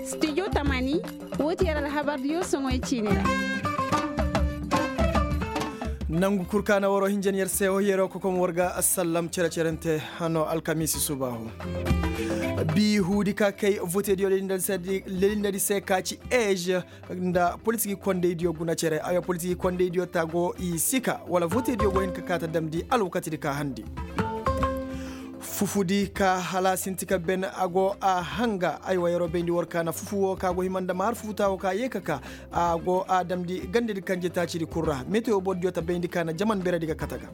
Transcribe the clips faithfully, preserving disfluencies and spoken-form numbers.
Studio tamani, woo ti yer alhabardiyo soŋoy ciini ra. Nangu kul ka na waroo hinjan yer se woo yeroo kokom war ga asallam cere-cerente hano alkamiisi subaahu. Bii huudi ka kay votediyo lelindadi se ka ci ej nda politiki kondeydiyo guna cere aywa politiki kondeydiyo ta go i sika wala votediyo go hin ka kaa ta damndi alwakatidi ka handi. Fufudi ka hala sinti ka ben a go a hanga aywa yeroo bayndi war ka na fufu woo ka go hima nda maar fufutaa woo ka yee ka kaa a go a damndi gandedi kanje taacidi kul ra metewo bordiyo ta bayndi ka na jaman beredi ga kate ga.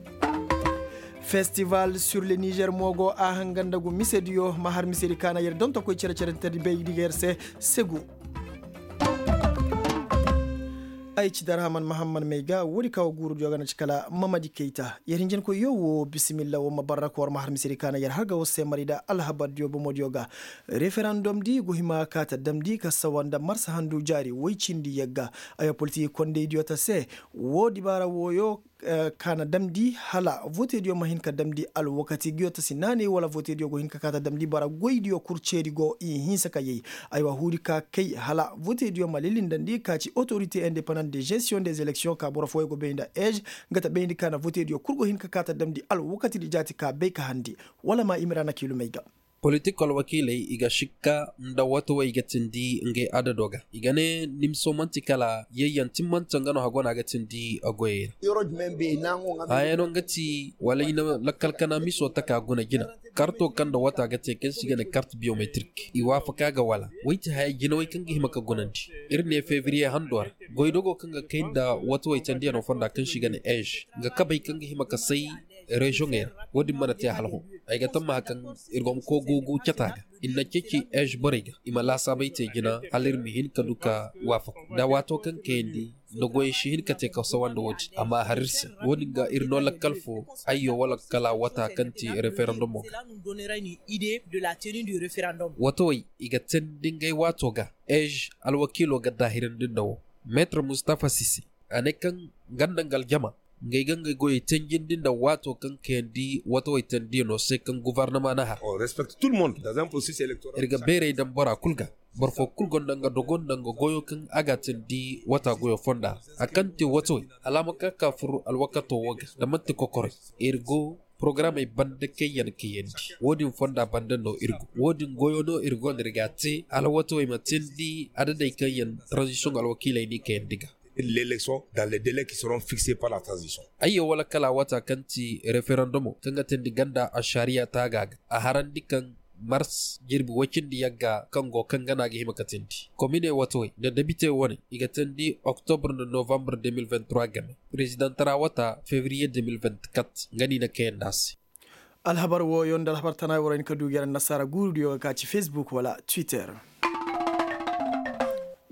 Festival sur le nizer mo go a hanga nda gu misediyo ma har misedi ka na yer dontokoy cere-cerentedi bayndi ga yer se segu. Ay ci darhaman mahamman may ga woodi ka wo guurudiyo ga na ci kala mamadi kayta yer hinjankoyyo wo bisimilla wo ma barra ka war ma har misedi ka na yer har ga war se mari nda alhabardiyo bomodiyo ga. Referandom di go hima ka ta damndi ka sawa nda marsa handu jaari woy cindi yagga. Ay wa politiki kondeydiyo ta se wo dibaara wooyo ka na damndi hala votediyo ma hin ka damndi alwakati nguyo ta si naanay wala votediyo go hin ka kaa ta damndi bara goydiyo kul ceeri go i hinsa ka yay. Aywa huudi ka kay hala votediyo ma lilindandi ka ci otorite independant de gestion des élections ka boro fooyo go bay nda ej nga ta bayndi ka na votediyo kul go hin ka kaa ta damndi alwakatidi jaati ka bay ka handi. Wala ma imira na kiilumey ga. Politik alwakiiley i ga šikka nda watawey ga tindi ngey adado ga i ga ne nimso man'ti kala yayyan timmante nga no hago no a ga tindi goyey ra. Haya no nga ti wala i na lakkal kana miso taka guna jina. Karto kaŋ nda wata ga te kaŋ se i ga ne kart biyometrik i waafaka ga wala wey ti haya jinawey kaŋ ga hima ka gunandi. Ir ne fevriye hando ra goydogo kaŋ ga kay nda watawey tandiyano fonda kaŋ se i ga ne ej nga kabey kaŋ ga hima ka say reziyoŋey ra. Wo-din mana te hala hõ. Ay ga tammaha kaŋ ir go ma koy guugu cata ga. Ir na ceeci ej borey ga i ma laasaabey te jina hala ir ma hin ka du ka waafaku nda waato kaŋ kayandi nda goyey si hin ka te ka sawa nda wo-din amma a har ir se. Wo-din ga ir no lakkal fo ayyo wala kala wata kaŋ ti referandumo ga. Watawey i ga teendi ngey waato ga ej alwakiilo ga daahirandi nda wo. Meetar mustafa sise a ne kaŋ nga nda nga aljama ngey ga ngey goyey tenjindi nda waato kaŋ kayandi watawey tendiyanoo se kaŋ guvarnama na har. Ir ga beerey daŋ bora kul ga. Boro foo kul gonda nga dogo nda nga goyoo kaŋ a g'a tendi wataa goyoo fonda ra. A kaŋ te watawey hala a ma ka ka fur alwakatoo woo ga nda man'ti kokorey. Ir go porogaramey banda kaŋ yaŋ kayandi. Woo din fonda banda no ir go woo din goyoo no ir go nda ir g'a te hala watawey ma tendi adadey kaŋ yaŋ taranzisiyoŋ alwakiiley n'i kayandi ga. L'election dans les délais ki seront fixés par la transition. Ayyo wala kala wata kaŋ ti referendumo kaŋ ga teendi ganda ašariya taaga ga a harandi kaŋ mars jirbi woy cindi yagga kaŋ go kaŋ gana ga hima ka teendi komine watawey nda debite wane i ga teendi oktobr nda novambar deux mille vingt-trois game. Prezidentara wata fevriye deux mille vingt-quatre nga no i na kayandi a se. Alhabar wooyo nda alhabar tana woo ra hin ka du ga yer annasaara guurudiyo ga ka ci facebook wala twitter.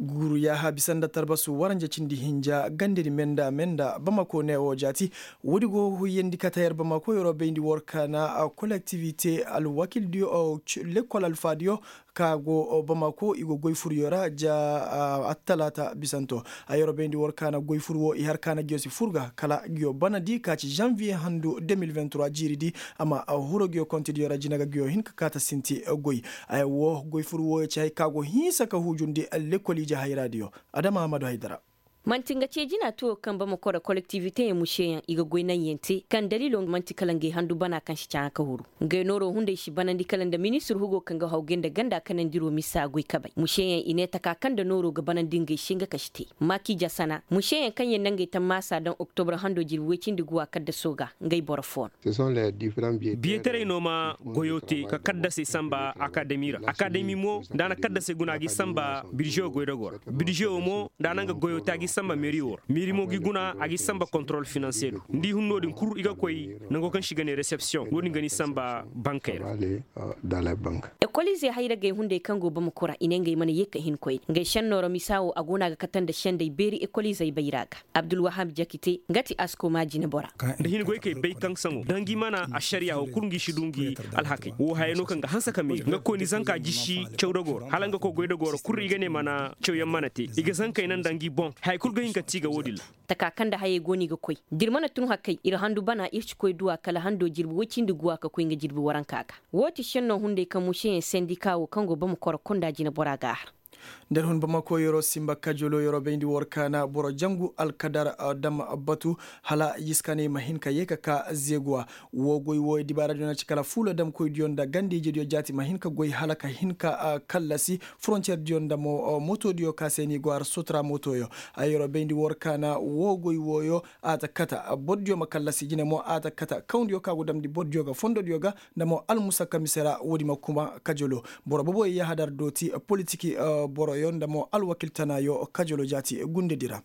Guuru yaaha bisa nda tarbasu waranja cindi hinja gandedi menda menda bamako ne woo jaati. Woodi go ga huyyandi kata yer bamako yeroo bayndi war ka na kolektivite alwakildiyo, lekkol alfaadiyo ka go bamako i go goy furyo ra ja attalaata bisanto. Ay yeroo bayndi war ka na goy fur woo i har ka na ngiyo si fur ga kala ngiyo banadi ka ci zanviye handu deux mille vingt-trois jiiridi. Amma huro ngiyo kontidiyo ra jina ga ngiyo hin ka kaata sinti goy. Ay woo goy fur wooyo ci hay ka go hinsa ka hujundi lekkol ije hayraadiyo. Adama ahmadu haydara. Man'ti nga ce jina tuwo kaŋ bamako ra kolektiviteyaŋ museyaŋ i ga goy naŋyaŋ te kaŋ daliilo man'ti kala ngey handu bana kaŋ si caaŋa ka huru. Ngey nooro hunday si banandi kala nda ministir hugo kaŋ ga hawgay nda ganda kanandiro misa goy kabay museyaŋ i ne taka kaŋ nda nooro ga banandi ngey se nga ka si te. Maaki jasana museyaŋ kaŋ yaŋ na ngey tammaasa daŋ oktobra hando jirbi woy cindi guwa kaddaso ga ngey boro fo no. Biyetaray no ma goyo te ka kaddasey samba akademi ra akademi mo nda a na kaddasey guna a g'i samba birzewo goydago ra. Birzewo mo nda a na nga goyo te a g'i samba meri wo ra meri mo g'i guna a g'i samba kontorol finanse do. Nda i hun no-din kul i ga koy nango kaŋ se i ga ne resepsiyoŋ no-din ga n'i samba bankey ra. Ekoliizey hayragey hunday kaŋ go bamako ra i ne ngey mana ye ka hin koyne ngey senno ra misa wo a go no a ga kate nda sendey beeri ekoliizey bayra ga. Abdulwahab jakite nga ti asko maajine bora. Nda hin goykey bay kaŋ saŋo da ngi mana ašariya wo kul ngi si du ngi alhakey wo haya no kaŋ ga hanse ka meeri nga koyni zanka jisi cawdago ra hala nga koy goydago ra kul i ga ne mana cawyaŋ mana te i ga zankey naŋ nda ngi boŋ haya. kul ga hin ka ti ga wo-din ra. Taka kaŋ nda hayey go no i ga koy da ir mana tun hakkey ir handu bana ir si koy duw'a kala hando jirbi woy cindi guwa ka koy nga jirbi waranka ga. Woo ti šennoo hunday kaŋ mušeyaŋ sendika woo kaŋ go bama koro kunda jineboraa ga a har. Nda ir hun bamako yeroo simba kajoloo yeroo bayndi war kaana boro jangu alkadar dam batu hala yiskaney ma hin ka yee ka kaa zeeguwa. Woo goy wooyo dibaaradiyo na ci kala fuula damkoydiyo nda ganda-ijediyo jaati ma hin ka goy hala ka hin ka kallasi forontiyeerdiyo nda mo motoodiyo ka se ni go har sotra motoyo. Ay yeroo bayndi war kaana woo goy wooyo a ta kata bordiyo ma kallasi jine mo a ta kata kawndiyo ka go damndi bordiyo ga fondodiyo ga nda mo almusakka mise ra woodi ma kuma kajolo. Boro boboyo yahadar dooti politik boroyo nda mo alwakil tanaayo kajolo jaati gundedi ra.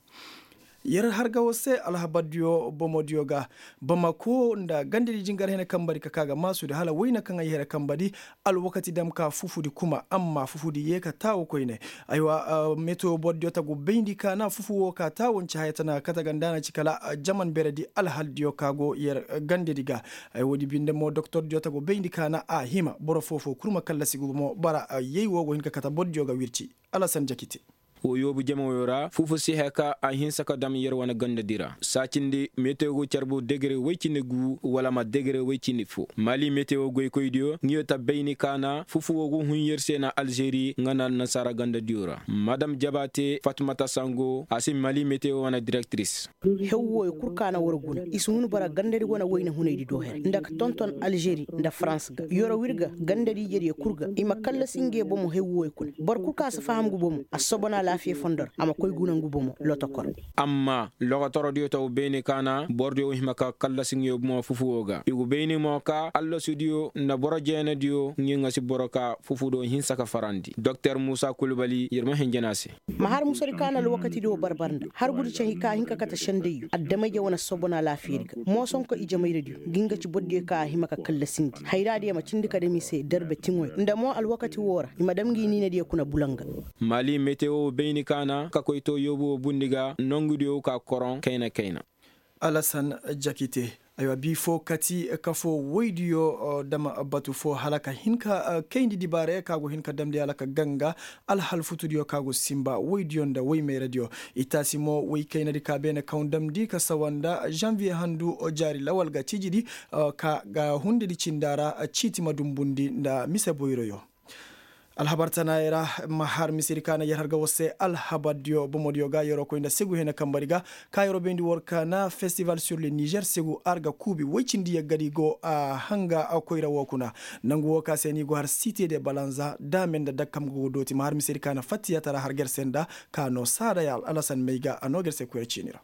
Yer har ga woo se alhabardiyo bomodiyo ga bamako nda gandadi jingar hene kambadi ka kaa ga maasudi hala wayna kaŋ ay hene kambadi. Alwakati dam ka fufudi kuma amma fufudi yee ka taawu koyne. Aywa metewo bordiyo tagu bayndi kaana fufu woo ka taawu nci haya tana kate ga nda a na ci kala jaman beredi alhaldiyo ka go yer gandadi ga. Ay woodi binde mo doktordiyo tagu bayndi kaana a hima boro foo-foo kul ma kallasi ngu bomo bara yay woo go hin ka kate bordiyo ga wirci. Alasan jakite. Wo yoobu jamayo ra fufu si haya ka a hinsa ka dam yer wane gandadi ra saacindi metewo go carbu degere woy cindi gu wala ma degere woy cindi fo. Mali metewo goykoydiyo ngiyo ta bayni kaana fufu woo go hun yer se na alžeri nga na annasaara gandadiyo ra madam jabaate fatmata sango a si mali metewo wane direktiris. Hew wooyo kul ka na war guna i si hun bara gandadi wane wayna hunaydi do her nda ka tonton alžeri nda farans ga yoro wir ga gandadi ijediyo kul ga i ma kallasi ngey bomo hew wooyo kuna boro kul ka si faham ngu bomo a si sobona alaafiya fondo ra a ma koy guna ngu bomo lotokor. Amma lokotorodiyo taw beene kaana borodiyo wo hima ka kallasi ngey bomo fufu woo ga i gu beene mo ka allasudiyo nda boro jeenadiyo ngey ŋa si boro ka fufu do hinsa ka farandi doktor muusa kulbali yer ma henjen a se. Ma har musadi ka na alwakati do barbar nda har gudi cahi ka hin ka kate sendayyo adama-ije wane sobona laafiyadi ga moosonko ijemayradiyo ngi nga ci bordiyo ka a hima ka kallasindi hayraadiyo ma cindi ka dam i se darbe tiŋoyo nda mo alwakati woo ra i ma dam ngi niinadiyo kuna bulanga. Mali metewo bayni ka na ka koy too yoobu woo bundi ga nongudiyo ka koroŋ kayna kayna. Alasan jakite. Aywa bii foo kati kafoo woydiyo dama batu foo hala ka hin ka kayndi dibaaraya ka go hin ka damndi hala ka ganga alhal futudiyo ka go sinba woydiyo nda woymayradiyo. Itaasi mo woykaynadi ka beene kaŋ damndi ka sawa nda zanviye handu jaari lawal ga ciijidi ka ga hundedi cinda ra ciiti ma dumbundi nda mise boyroyo. Alhabar tanaayey ra ma har misedi ka na yer har ga war se alhabardiyo bomodiyo ga yeroo koy nda segu hene kambadi ga ka yeroo bayndi war ka na festival sur le nizer segu ar ga kuubi woy cindi yaggadi go a hanga koyra woo kuna. Nangu woo ka se ni go har site de balanza daame nda dakkam ga go dooti ma har misedi ka na fattiyata ra har ga yer se nda ka noo saada ya alasan may ga a noo ga yer se koyra ciini ra.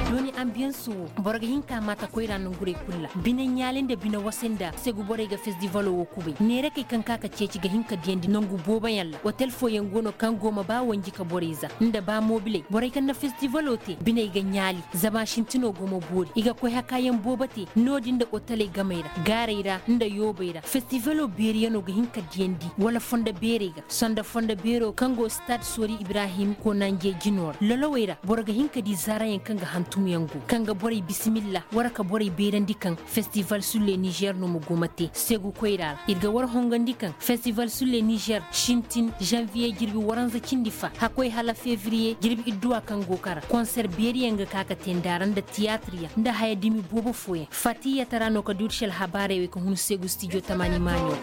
Dooni ambiyansu woo boro ga hin ka maata koyra nongurey kul ra bine ɲaali nda bine wasa nda segu borey ga festivalo woo kubay neerakey kaŋ ka ka ceeci ga hin ka diyandi nongu booboyaŋ ra otel fooyaŋ go no kaŋ go ma ba wanji ka borey za nda ba mobiley borey kaŋ na festivalo te biney ga ɲaali zama sintinoo go ma boori i ga koy hakaayaŋ boobo te no-din nda oteley gamey ra gaarey ra nda yoobey ra festivalo beeriyanoo ga hin ka diyandi wala fondo beerey ga sonda fondo beero kaŋ go stad soori ibrahim konanje jinoo ra lolowey ra boro ga hin ka di zaarayaŋ kaŋ ga hantumyaŋ go kaŋ ga borey bisimilla war ka borey beerandi kaŋ festival sur le nizer no ma go ma te segu koyra ra ir ga war hongandi kaŋ festival sur le nizer sintin zanviye jirbi waranza cindi fa hakkoy hala fevriye jirbi idduwa kaŋ go kara konser beeriyaŋ ga ka ka te nda ra nda tiyaatiriyaŋ nda haya dumi boobo fooyaŋ fatiyata ra no ka duuti si alhabaarey wey ka hun segu stijo tamaani maaɲo.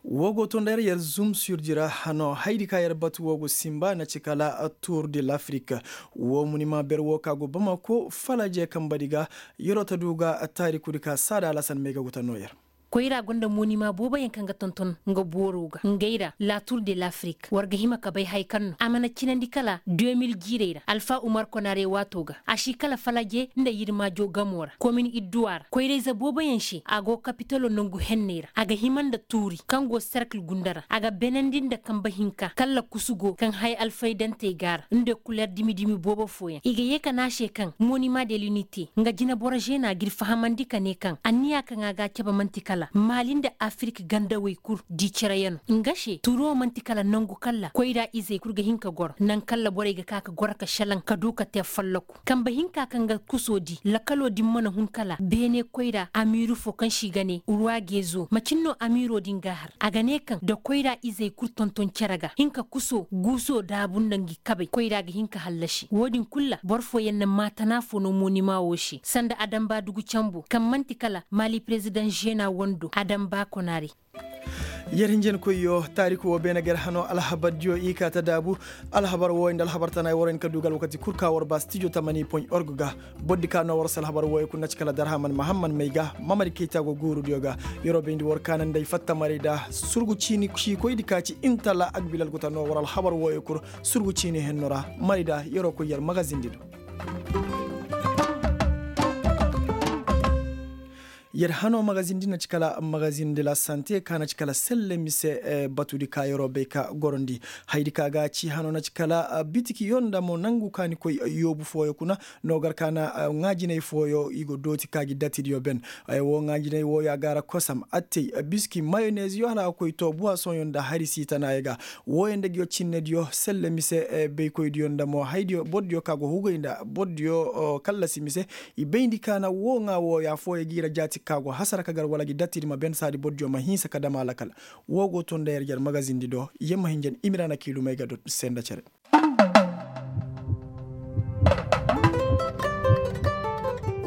Woo go to nda yer yer zum surdi ra hano haydi ka yer batu woo go sinba na ci kala tour de l'afrique. Woo munima ber woo ka go bamako falaje kambadi ga yeroo ta du ga taarikudi ka saada alasan may ga guta noo yer. Koyra gonda monima booboyaŋ kaŋ ga tonton nga booro ga ngey ra la tour de l'afrique war ga hima ka bay hay kaŋ no a mana cinandi kala deux mille jiirey ra alfa umar konare waato ga a si kala falaje nda yirmaajo gamo ra komin idduwa ra koyrayze booboyaŋ se a go kapitalo nangu henney ra a ga hima nda tuuri kaŋ go serkil gunda ra a ga benandi nda kambe hinka kala kusu go kaŋ hay alfaydantey ga a ra nda kuler dimi-dimi boobo fooyaŋ i ga yee ka ne a se kaŋ monima de l'unité nga jineboro zeena g'ir fahamandi ka ne kaŋ anniya kaŋ a ga a cabe man'ti kala Maali nda afirik gandawey kul di cere yano nga se turo man'ti kala nangu kalla koyra izey kul ga hin ka goro naŋ kalla borey ga ka ka goro ka šelaŋ ka du ka te folloku kambe hinka kaŋ ga kuso di lakalo din mana hun kala beene koyra amiiru fo kaŋ se i ga ne ruwa geezo macin no amiiro din ga a har a ga ne kaŋ da koyra izey kul tonton cere ga hin ka kuso guuso daabu nda ngi kabey koyra ga hin ka hallasi wo- din kul ra boro fooyaŋ na maatana fo no moonima wo se sanda adamba dugu cambu kaŋ man'ti kala maali perezidaŋ žena wando adamba konaari. Yer hinjankoyyo taariku wo beene ga yer hano alhabardiyo i ka ta daabu. Alhabar wooyo nda alhabar tana ay war hin ka du ga alwakati kul ka war ba stijo tamani point org ga. Boro di ka no war se alhabar wooyo kul na ci kala darhaman mahamman may ga mamadi kayta go guurudiyo ga. Yer'o bayndi war kaanandi ay fatta maray da surgu ciini ciikoydi ka ci intala agbilal go ta no war alhabar wooyo kul surgu ciini henno ra. Maray da yer'o koy yer magazindi do. Yer hano magazin din na ci kala magazin de la sante ka na ci kala selle mise batudi ka yer'o bay ka gorondi. Hayadi ka ga ci hano na ci kala bitiki yo nda mo nangu ka ni koy yoobu fooyo kuna. No gar ka na ŋaajinay fooyo i go dooti ka gi datidiyo ben. Ay wo ŋaajinay wooyo a gaara kosam attey biski mayonez yo hala a koy to buwasoŋyo nda hari siitanayo ga. Wooyo nda nguyo cinnediyo selle mise baykoydiyo nda mo haydiyo bordiyo ka go hugay nda bordiyo kallasi mise. I bayndi kaana woo ŋaa wooyo afooyaŋ gi ra jaati ka go hasara ka gar wala gi dattidi ma ben saadi bordiyo ma hinsa ka dam a lakal. Woo go to nda yer jer magazindi do yer ma hin jen imira na kiilumay ga do se nda cere.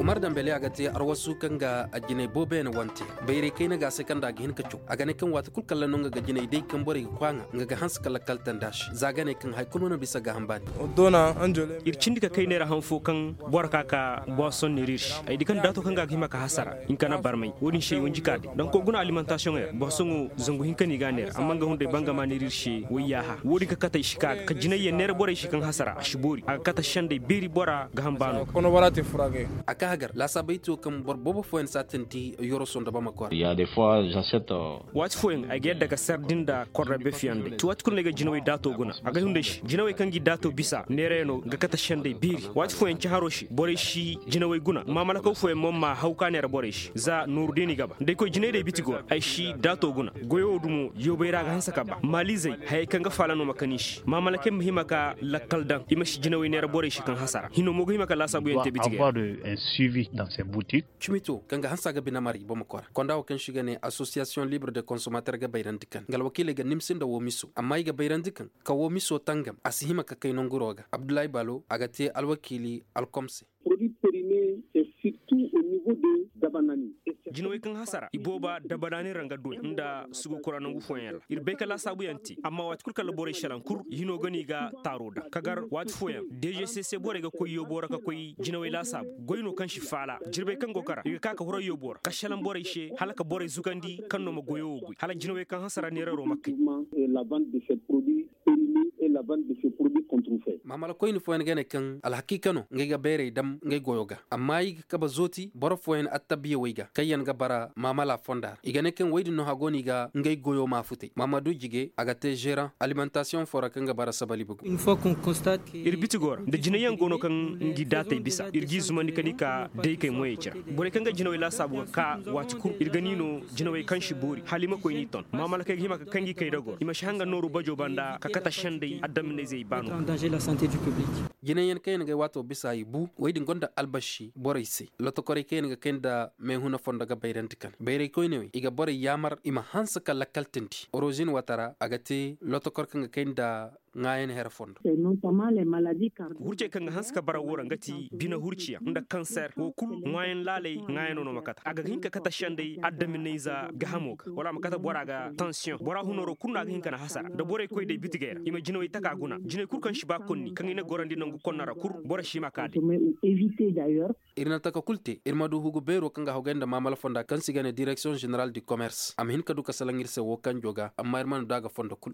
Umar dambele a ga te arwasu kaŋ ga jinay booboyaŋ wante. Bayray kayna ga a se kaŋ nda a ga hin ka caw a ga ne kaŋ waati kul kalla no nga ga jinay day kaŋ borey ga kwaaŋa nga ga hanse ka lakkal tanda se za a ga ne kaŋ hari kul mana bisa gaaham baani. Ir cindi ka kay neera han fo kaŋ boro ka ka boison neera ir se ay di kaŋ daato kaŋ ga a ga hima ka hasara. Hinka na barmay wo-din se ay wanji ka day daŋ koy guna alimentasiyoŋey ra boisoŋo zangu hinka no i ga a neera amma nga hunday bangama neera ir se wayyaaha wo-din ka kate ay si ka ka jinayyaŋ neera borey se kaŋ hasara a si boori a ga kate sendey beeri bora gaaham baano. A ka hagar laasaabey to kaŋ boro boobo fooyaŋ saatandi yoroso nda bamako ra. Waati fooyaŋ ay ga yadda ka sar din nda korra befiyaŋ day ti waati kulu no ay ga jinawey daato guna a ga hunday se jinawey kaŋ gi daato bisa neerayaŋo ga kate sendey beeri waati fooyaŋ caharo se borey si jinawey guna maamalakaw fooyaŋ mo ma haw ka neera borey se za nooru day no i ga ba nda ay koy jinay day biti go ra ay si daato guna. Goyo wo dumo yoobay ra a ga hanse ka ba maalizey hayey kaŋ ga faala no ma kan i se maamalakey ma hima ka lakkal daŋ i ma si jinawey neera borey se kaŋ hasara hino mo ga hima ka laasaabuyaŋ te biti ga yaŋ. Cimito kaŋ ga hanse a ga bine maray bamako ra konda wo kaŋ se i ga ne asosiyasiyoŋ libre de konsomater ga bayrandi kaŋ nga alwakiiley ga nimsi nda woo miso amma i ga bayrandi kaŋ ka woo miso tangam a si hima ka kay nanguro ga abdullahi balo a ga te alwakiili alkom se. Jinawey kaŋ hasara ibooba dabanaani ra nga doy nda sugu kura nangu fooyaŋ ra ir bay ka laasaabuyaŋ te amma waati kul kala borey selaŋ kul hino ga no i ga taaro daŋ ka gar waati fooyaŋ dejese se borey ga koy yoobo ra ka koy jinawey laasaabu goy no kaŋ si faala jirbey kaŋ go kara i ga ka ka huray yoobo ra ka selaŋ borey se hala ka borey zugandi kaŋ no ma goyo wo goy hala jinawey kaŋ hasara neeraro ma kay. Maamala koyne fooyaŋ ga ne kaŋ alhakiika no ngey ga bayray dam ngey goyo ga amma i ga kabe zooti boro fooyaŋ attabiyawey ga kaŋ yaŋ ga bara maamala fonda ra i ga ne kaŋ wey din no hagoo no i ga ngey goyo maafutey maamadu jige a ga te žeeraŋ alimentasiyoŋ foo ra kaŋ ga bara sabali bugu. Ir biti go ra nda jinayyaŋ go no kaŋ ngi daatey bisa ir g'i zumandi ka ni ka daykey moyey cira borey kaŋ ga jinawey laasaabu ga ka waati kul ir ga ni no jinawey kaŋ si boori hala i ma koy n'i ton maamalakey ga hima ka kaŋ gi kay dago i ma si hanga nooru bajo banda ka kate sendey addaminayzey baano. Jinayyaŋ kaŋ yaŋ ga ay waato bisa i bu wey din gonda albasi borey se lotokorey kaŋ yaŋ ga kay nda meehuna fondo ga bayrandi kane bayray koyne wey i ga borey yaamar i ma hanse ka lakkaltandi orozin wata ra a ga te lotokor kaŋ ga kay nda ŋaayan here fondo. Hurcey kaŋ ga hanse ka bara woo ra nga ti bine hurciyaŋ nda kanser woo kul ŋwaayan laaley ŋwaayano no ma kate a ga hin ka kate sendey addaminayza gahamo ga wala a ma kate bora ga tansiyoŋ bora hunaro kul no a ga hin ka na hasara nda borey koy day bitigey ra i ma jinawey taka guna jinay kul kaŋ si ba konni kaŋ i na gorandi nangu konna ra kul boro si hima ka day. Ir na taka kul te ir ma du hugu beero kaŋ ga hogay nda maamala fonda kaŋ se i ga ne direksiyoŋ ženeral di komers a ma hin ka du ka salaŋ ir se woo kanjo ga amma ir mana du a ga fondo kul.